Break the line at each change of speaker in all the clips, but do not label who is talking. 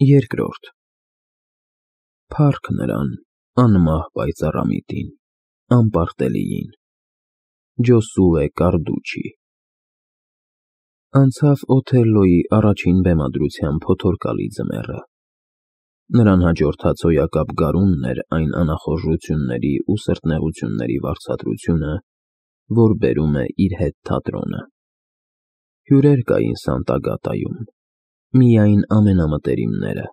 Երկրորդ Փառք նրան, անմահ պայծառամիտին, անպարտելիին, Ջոսուե Կարդուչի։ Անցավ Օթելլոյի առաջին բեմադրության փոթորկալի ձմեռը։ Նրան հաջորդած հոյակապ գարունն էր այն անախորժությունների ու սրտնեղությունների վարձատրությունը, որ բերում է իր հետ թատրոնը։ Հյուրեր կային Սանտագատայում, միայն ամենամտերիմները՝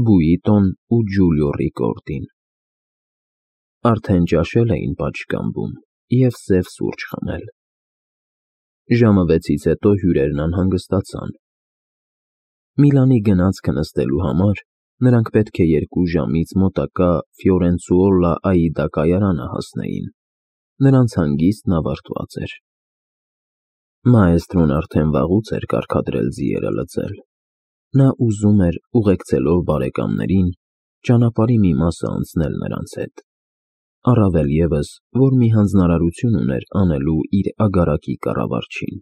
Բուիտոն ու Ջուլիո Ռիկորդին։ Արդեն ճաշել էին պատշգամբում և սև սուրճ խմել։ Ժամը 6-ից հետո հյուրերն անհանգստացան։ Միլանի գնացքը նստելու համար նրանք պետք է 2 ժամից մոտակա Ֆիորենցուոլա Աիդա կայարանը հասնեին, նրանց հանգիստն ավարտված էր։ Մաեստրոն արդեն վաղուց էր կարգադրել ձիերը լծել։ Նա ուզում էր, ուղեկցելով բարեկամներին, ճանապարհի մի մասը անցնել նրանց հետ, առավել ևս, որ մի հանձնարարություն ուներ անելու իր ագարակի կառավարչին։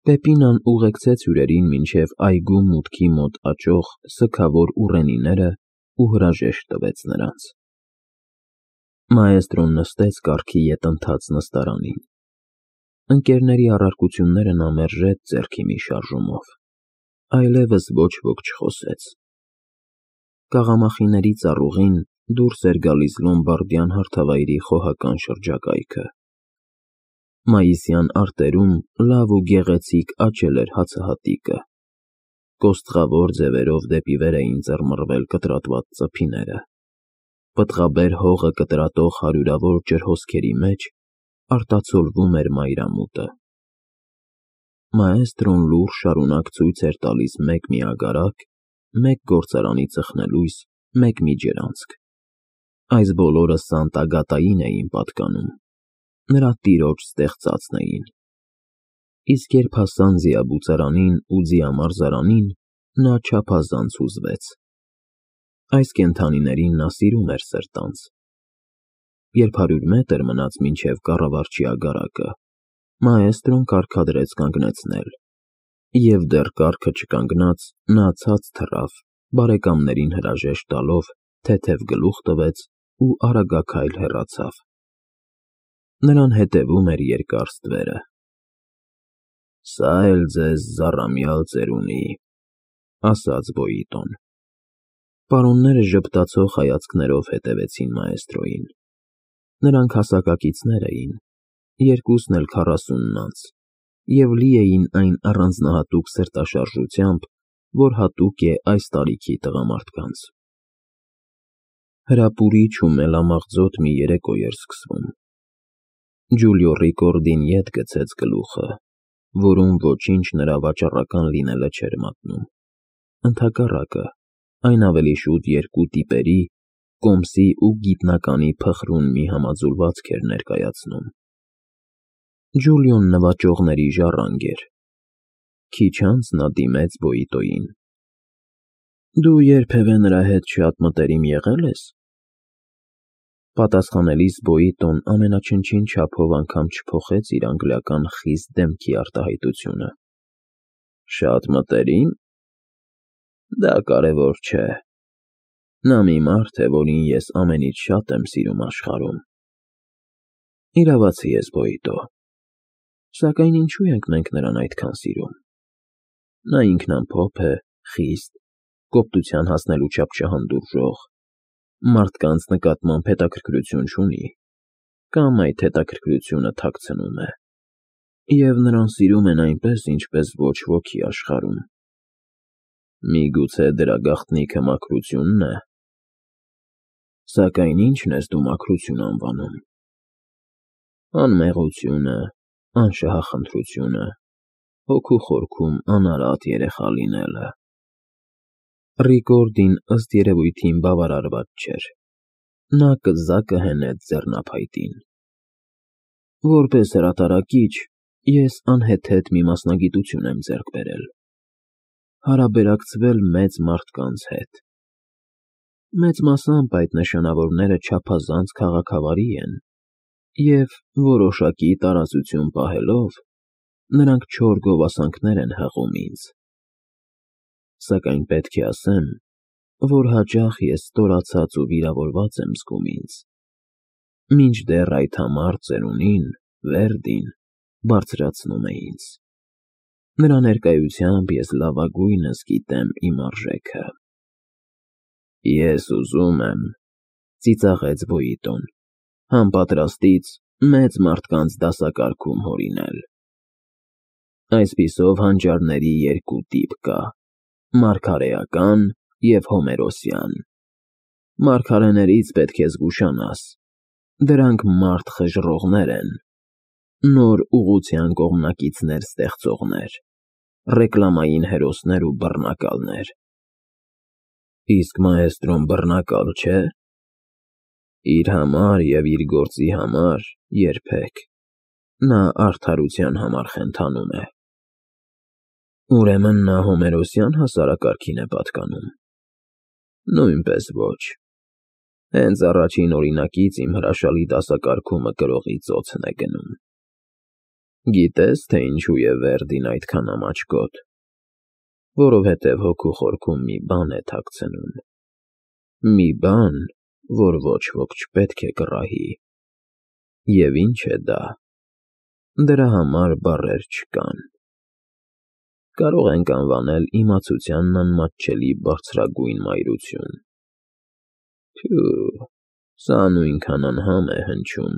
Պեպինան ուղեկցեց հյուրերին մինչև այգու մուտքի մոտ աճող սգավոր ուռենիներն ու հրաժեշտ տվեց նրանց։ Մաեստրոն նստեց կառքի ետընթաց նստարանին։ Ընկերների առարկությունները նա մերժեց ձեռքի մի շարժումով, այլևս ոչ ոք չխոսեց։ Կաղամախիների ծառուղին դուրս էր գալիս Լոմբարդյան հարթավայրի խոհական շրջակայքը։ Մայիսյան արտերում լավ ու գեղեցիկ աճել էր հացահատիկը։ Կոստղավոր ձևերով դեպի վեր էին ծռմռվել կտրատված ծփիները։ Պտղաբեր հողը կտրատող հարյուրավոր ջրհոսքերի մեջ արտացոլվում էր մայրամուտը։ Մաեստրոն լուռ շարունակ ցույց էր տալիս մեկ մի ագարակ, մեկ գործարանի ծխնելույս, մեկ մի ջրանցք։ Այս բոլորը Սանտագատային էին պատկանում, նրա տիրոջ ստեղծածն էին։ Իսկ երբ հասան ձիաբուծարանին ու ձիամարզարանին, նա չափազանց հուզվեց։ Այս կենդանիներին նա սիրում էր սրտանց։ Երբ 100 մետր մնաց մինչև կառավարչի ագարակը, մաեստրոն կարգադրեց կանգնեցնել, և դեռ կառքը չկանգնած, նա ցած թռավ, բարեկամներին հրաժեշտ տալով, թեթև գլուխ տվեց ու արագաքայլ հեռացավ։ Նրան հետևում էր երկար ստվերը։ «Սա էլ ձեզ զառամյալ ծերունի», ասաց Բոյիտոն։ Պարոնները ժպտացող հայացքներով հետևեցին մաեստրոյին։ Նրանք հասակակիցներ էին, երկուսն էլ 40 անց, և լի էին այն առանձնահատուկ սրտաշարժությամբ, որ հատուկ է այս տարիքի տղամարդկանց։ Հրապուրիչ ու մելամաղձոտ մի երեկո էր սկսվում։ Ջուլիո Ռիկորդին ետ գցեց գլուխը, որում ոչինչ նրա վաճառական լինելը չէր մատնում։ Ընդհակառակը, այն ավելի շուտ 2 տիպերի՝ կոմսի ու գիտնականի փխրուն մի համաձուլվածք էր ներկայացնում։ Ջուլիոն նվաճողների ժառանգ էր։ Քիչ անց նա դիմեց Բոյիտոյին։ «Դու երբևէ նրա հետ շատ մտերիմ եղե՞լ ես»։ Պատասխանելիս Բոյիտոն ամենաչնչին չափով անգամ չփոխեց իր անգլիական խիստ դեմքի արտահայտությունը։ «Շատ մտերի՞մ։ Դա կարևոր չէ։ Նա մի մարդ է, որին ես ամենից շատ եմ սիրում աշխարհում»։ Իրավացի ես, Բոյիտո, սակայն ինչու ենք մենք նրան այդքան սիրում։ Նա ինքնամփոփ է, խիստ, կոպտության հասնելու չափ չհանդուրժող, մարդկանց նկատմամբ հետաքրքրություն չունի, կամ այդ հետաքրքրությունը թաքցնում է, և նրան սիրում են այնպես, ինչպես ոչ ոքի աշխարհում։ Միգուցե դրա գաղտնիքը մաքրությունն է։ Սակայն ի՞նչն ես դու մաքրություն անվանում։ Անմեղությունը, անշահախնդրությունը, հոգու խորքում անարատ երեխա լինելը։ Ռիկորդին ըստ երևույթին բավարարված չէր։ Նա կզակը հենեց ձեռնափայտին։ Որպես հրատարակիչ ես անհեթեթ մի մասնագիտություն եմ ձեռք բերել. հարաբերակցվել մեծ մարդկանց հետ։ Մեծ մասամբ այդ նշանավորները չափազանց քաղաքավարի են, և, որոշակի տարածություն պահելով, նրանք չոր գովասանքներ են հղում ինձ։ Սակայն պետք է ասեմ, որ հաճախ ես ստորացած ու վիրավորված եմ զգում ինձ, մինչդեռ այդ համառ ծերունին, Վերդին, բարձրացնում է ինձ։ Նրա ներկայությամբ ես լավագույնս գիտեմ իմ արժեքը։ Ես ուզում եմ, ծիծաղեց Բոյիտոն, համապատրաստից մեծ մարդկանց դասակարգում հորինել։ Այսպիսով հանճարների երկու տիպ կա՝ մարգարեական և հոմերոսյան։ Մարգարեներից պետք է զգուշանաս, դրանք մարդ խժռողներ են, նոր ուղղության կողմնակիցներ ստեղծողներ, ռեկլամային հերոսներ ու բռնակալներ։ Իսկ մաեստրոն բռնակալ չէ՞։ Իր համար և իր գործի համար երբեք, նա արդարության համար խենթանում է։ Ուրեմն նա հոմերոսյան հասարակարգին է պատկանում։ Նույնպես ոչ։ Հենց առաջին օրինակից իմ հրաշալի դասակարգումը գրողի ծոցն է գնում։ Գիտե՞ս, թե ինչու է Վերդին այդքան ամաչկոտ։ Որովհետև հոգու խորքում մի բան է թաքցնում։ Մի բան, որ ոչ ոք չպետք է կռահի։ Եվ ինչ է դա։ Դրա համար բառեր չկան։ Կարող ենք անվանել իմացությանն անմատչելի բարձրագույն մայրություն։ Փյու, սա նույնքան անհամ է հնչում,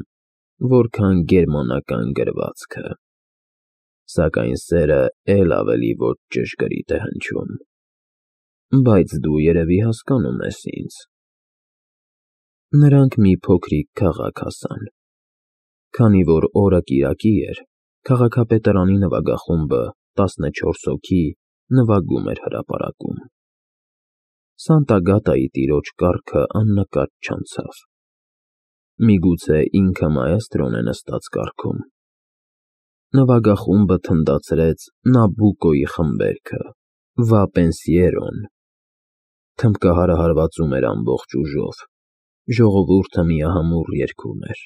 որքան գերմանական գրվածքը։ Սակայն սերը էլ ավելի ոչ ճշգրիտ է հնչում։ Բայց դու երևի հասկանում ես ինձ։ Նրանք մի փոքրիկ քաղաք հասան։ Քանի որ օրը կիրակի էր, քաղաքապետարանի նվագախումբը 14 հոգի նվագում էր հրապարակում։ Սանտագատայի տիրոջ կառքը աննկատ չանցավ։ Միգուցե ինքը մաեստրոն է նստած կառքում։ Նվագախումբը թնդացրեց Նաբուկոյի խմբերքը, «Վա Պենսիերոն»։ Թմբկահարը հարվածում էր ամբողջ ուժով, ժողովուրդը միահամուռ երգում էր։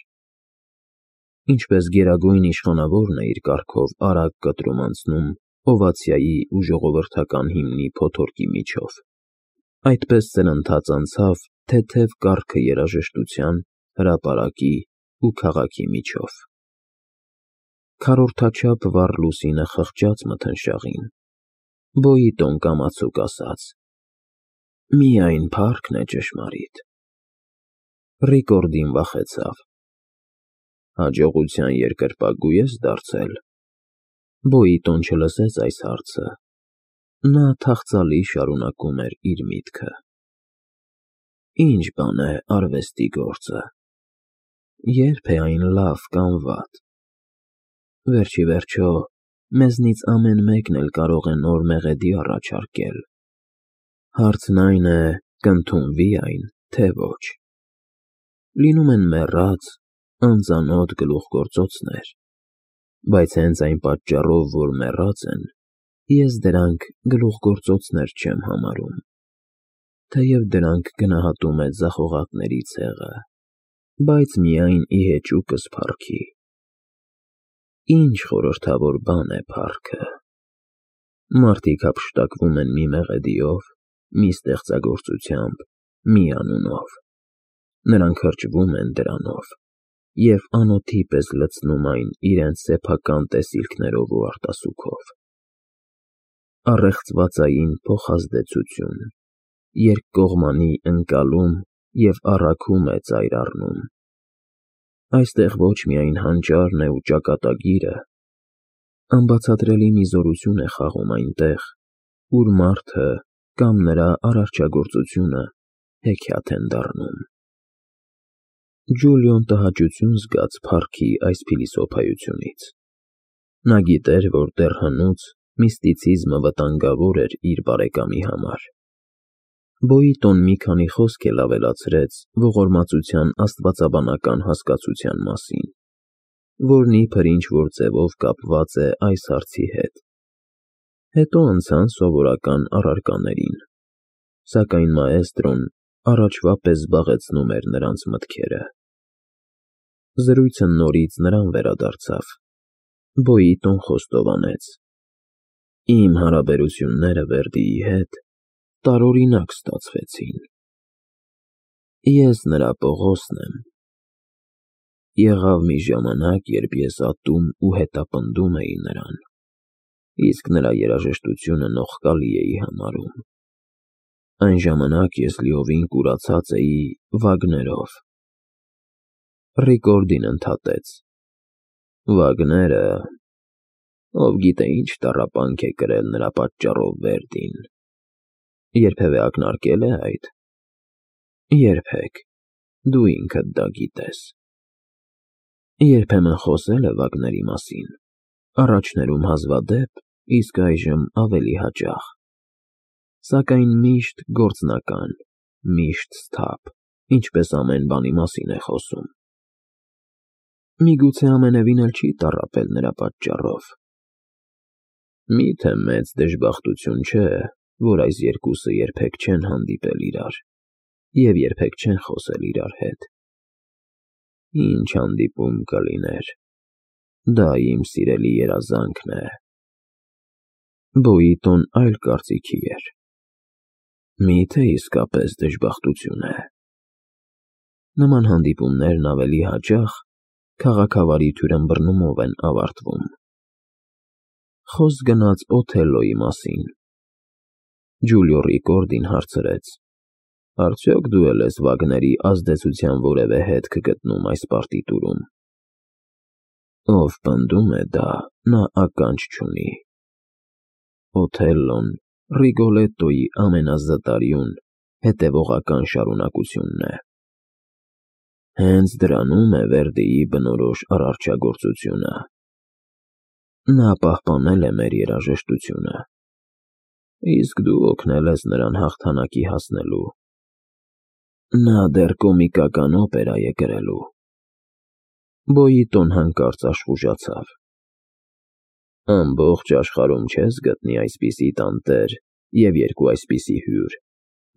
Ինչպես գերագույն իշխանավորն է իր կառքով արագ կտրում անցնում օվացիայի ու ժողովրդական հիմնի փոթորկի միջով, այդպես սրընթաց անցավ թեթև կառքը երաժշտության, հրապարակի ու քաղաքի միջով։ Քառորդաչափ վառ լուսինը խղճաց մթնշաղին։ Բոյիտոն կամացուկ ասաց. «Միայն փառքն է ճշմարիտ»։ Ռիկորդին վախեցավ։ Հաջողության երկրպագու ես դարձել։ Բոյիտոն չլսեց այս հարցը։ Նա թախծալի շարունակում էր իր միտքը։ Ինչ բան է արվեստի գործը։ Ե՞րբ է այն լավ կամ վատ։ Վերջիվերջո, մեզնից ամեն մեկն էլ կարող է նոր մեղեդի առաջարկել։ Հարցն այն է, կընդունվի այն, թե ոչ։ Լինում են մեռած, անծանոթ գլուխգործոցներ, բայց հենց այն պատճառով, որ մեռած են, ես դրանք գլուխգործոցներ չեմ համարում, թեև դրանք գնահատում է ձախողակների ցեղը, բայց միայն ի հեճուկս փառքի։ Ինչ խորհրդավոր բան է փառքը։ Մարդիկ հափշտակվում են մի մեղեդիով, մի ստեղծագործությամբ, մի անունով։ Նրանք հրճվում են դրանով և անոթի պես լցնում այն իրենց սեփական տեսիլքներով ու արտասուքով։ Առեղծվածային փոխազդեցություն, երկկողմանի ընկալում և առաքում է ծայր առնում։ Այստեղ ոչ միայն հանճարն է ու ճակատագիրը, անբացատրելի մի զորություն է խաղում այնտեղ, ուր մարդը կամ նրա արարչագործությունը հեքիաթ են դառնում։ Ջուլիոն տհաճություն զգաց փառքի այս փիլիսոփայությունից։ Նա գիտեր, որ դեռ հնուց միստիցիզմը վտանգավոր էր իր բարեկամի համար։ Բոյիտոն մի քանի խոսք էլ ավելացրեց ողորմածության աստվածաբանական հասկացության մասին, որն իբր ինչ-որ ձևով կապված է այս հարցի հետ։ Հետո անցան սովորական առարկաներին, սակայն մաեստրոն առաջվա պես զբաղեցնում էր նրանց մտքերը։ Զրույցը նորից նրան վերադարձավ։ Բոյիտոն խոստովանեց. «Իմ հարաբերությունները Վերդիի հետ տարօրինակ ստացվեցին։ Ես նրա Պողոսն եմ։ Եղավ մի ժամանակ, երբ ես ատում ու հետապնդում էի նրան, իսկ նրա երաժշտությունը նողկալի էի համարում։ Այն ժամանակ ես լիովին կուրացած էի Վագներով։ Ռիկորդին ընդհատեց. Վագները, ով գիտե ինչ տառապանք է կրել նրա պատճառով Վերդին։ Երբևէ ակնարկել է այդ։ Երբեք, դու ինքդ դա գիտես։ Երբեմն խոսել է Վագների մասին, առաջներում հազվադեպ, իսկ այժմ ավելի հաճախ, սակայն միշտ գործնական, միշտ սթափ, ինչպես ամեն բանի մասին է խոսում։ Միգուցե ամենևին էլ չի տառապել նրա պատճառով։ Միթե մեծ դժբախտություն չէ, որ այս երկուսը երբեք չեն հանդիպել իրար և երբեք չեն խոսել իրար հետ։ Ինչ հանդիպում կլիներ, դա իմ սիրելի երազանքն է։ Բոյիտոն այլ կարծիքի էր։ Միթե իսկապես դժբախտություն է։ Նման հանդիպումներն ավելի հաճախ քաղաքավարի թյուրըմբռնումով են ավարտվում։ Խոսք գնաց Օթելլոյի մասին։ Ջուլիո Ռիկորդին հարցրեց. Արդյոք դու էլ ես Վագների ազդեցության որևէ հետք գտնում այս պարտիտուրում։ Ով պնդում է դա, նա ականջ չունի։ Օթելլոն Ռիգոլետտոյի ամենազտարյուն, հետևողական շարունակությունն է։ Հենց դրանում է Վերդիի բնորոշ արարչագործությունը։ Նա պահպանել է մեր երաժշտությունը, իսկ դու օգնել ես նրան հաղթանակի հասնելու։ Նա դեռ կոմիկական օպերա է գրելու։ Բոյիտոն հանկարծ աշխուժացավ։ Ամբողջ աշխարհում չես գտնի այսպիսի տանտեր և երկու այսպիսի հյուր,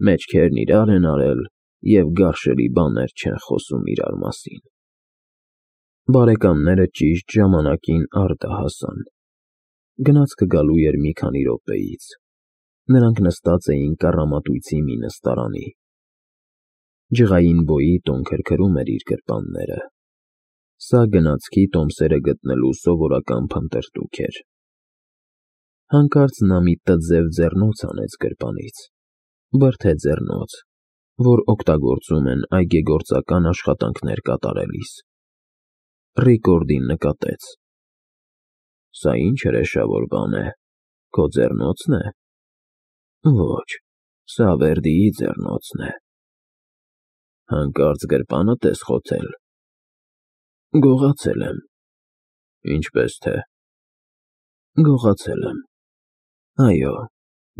մեջքերն իրար են արել և գարշելի բաներ չեն խոսում իրար մասին։ Բարեկամները ճիշտ ժամանակին արտը հասան։ Գնացքը գալու էր մի քանի րոպեից։ Նրանք նստած էին կառամատույցի մի նստարանի։ Ջղային Բոյիտոն քրքրում էր իր գրպանները։ Սա գնացքի տոմսերը գտնելու սովորական փնտրտուք էր։ Հանկարծ նա մի տձև ձեռնոց հանեց գրպանից, բրդե ձեռնոց, որ օգտագործում են այգեգործական աշխատանքներ կատարելիս։ Ռիկորդին նկատեց. Սա ինչ հրեշավոր բան է, քո ձեռնոցն է։ Ոչ, սա Վերդիի ձեռնոցն է։ Հանկարծ գրպանդ ես խոթել։ Գողացել եմ։ Ինչպես թե։ Գողացել եմ։ Այո,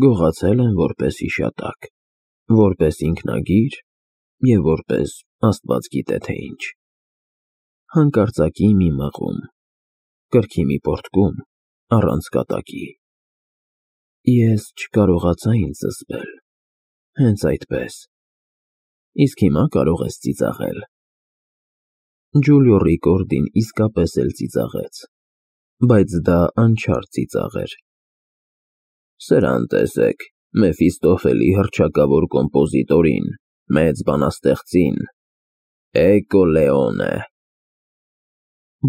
գողացել եմ որպես հիշատակ, որպես ինքնագիր և որպես աստված գիտե թե ինչ։ Հանկարծակի մի մղում, կրքի մի պոռթկում, առանց կատակի։ Ես չկարողացա ինձ զսպել, հենց այդպես։ Իսկ հիմա կարող ես ծիծաղել։ Ջուլիո Ռիկորդին իսկապես էլ ծիծաղեց, բայց դա անչափ ծիծաղ էր։ Սրան տեսեք, Մեֆիստոֆելի հռչակավոր կոմպոզիտորին, մեծ բանաստեղծին, Էկո Լեոնե։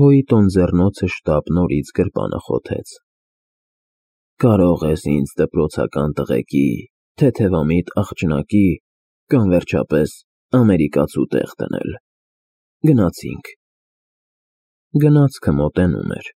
Բոյիտոն ձեռնոցը շտապ նորից գրպանը խոթեց։ Կարող ես ինձ դպրոցական տղեկի, թեթևամիտ աղջնակի կամ վերջապես ամերիկացու տեղ դնել։ Գնացինք։ Գնացքը մոտենում էր։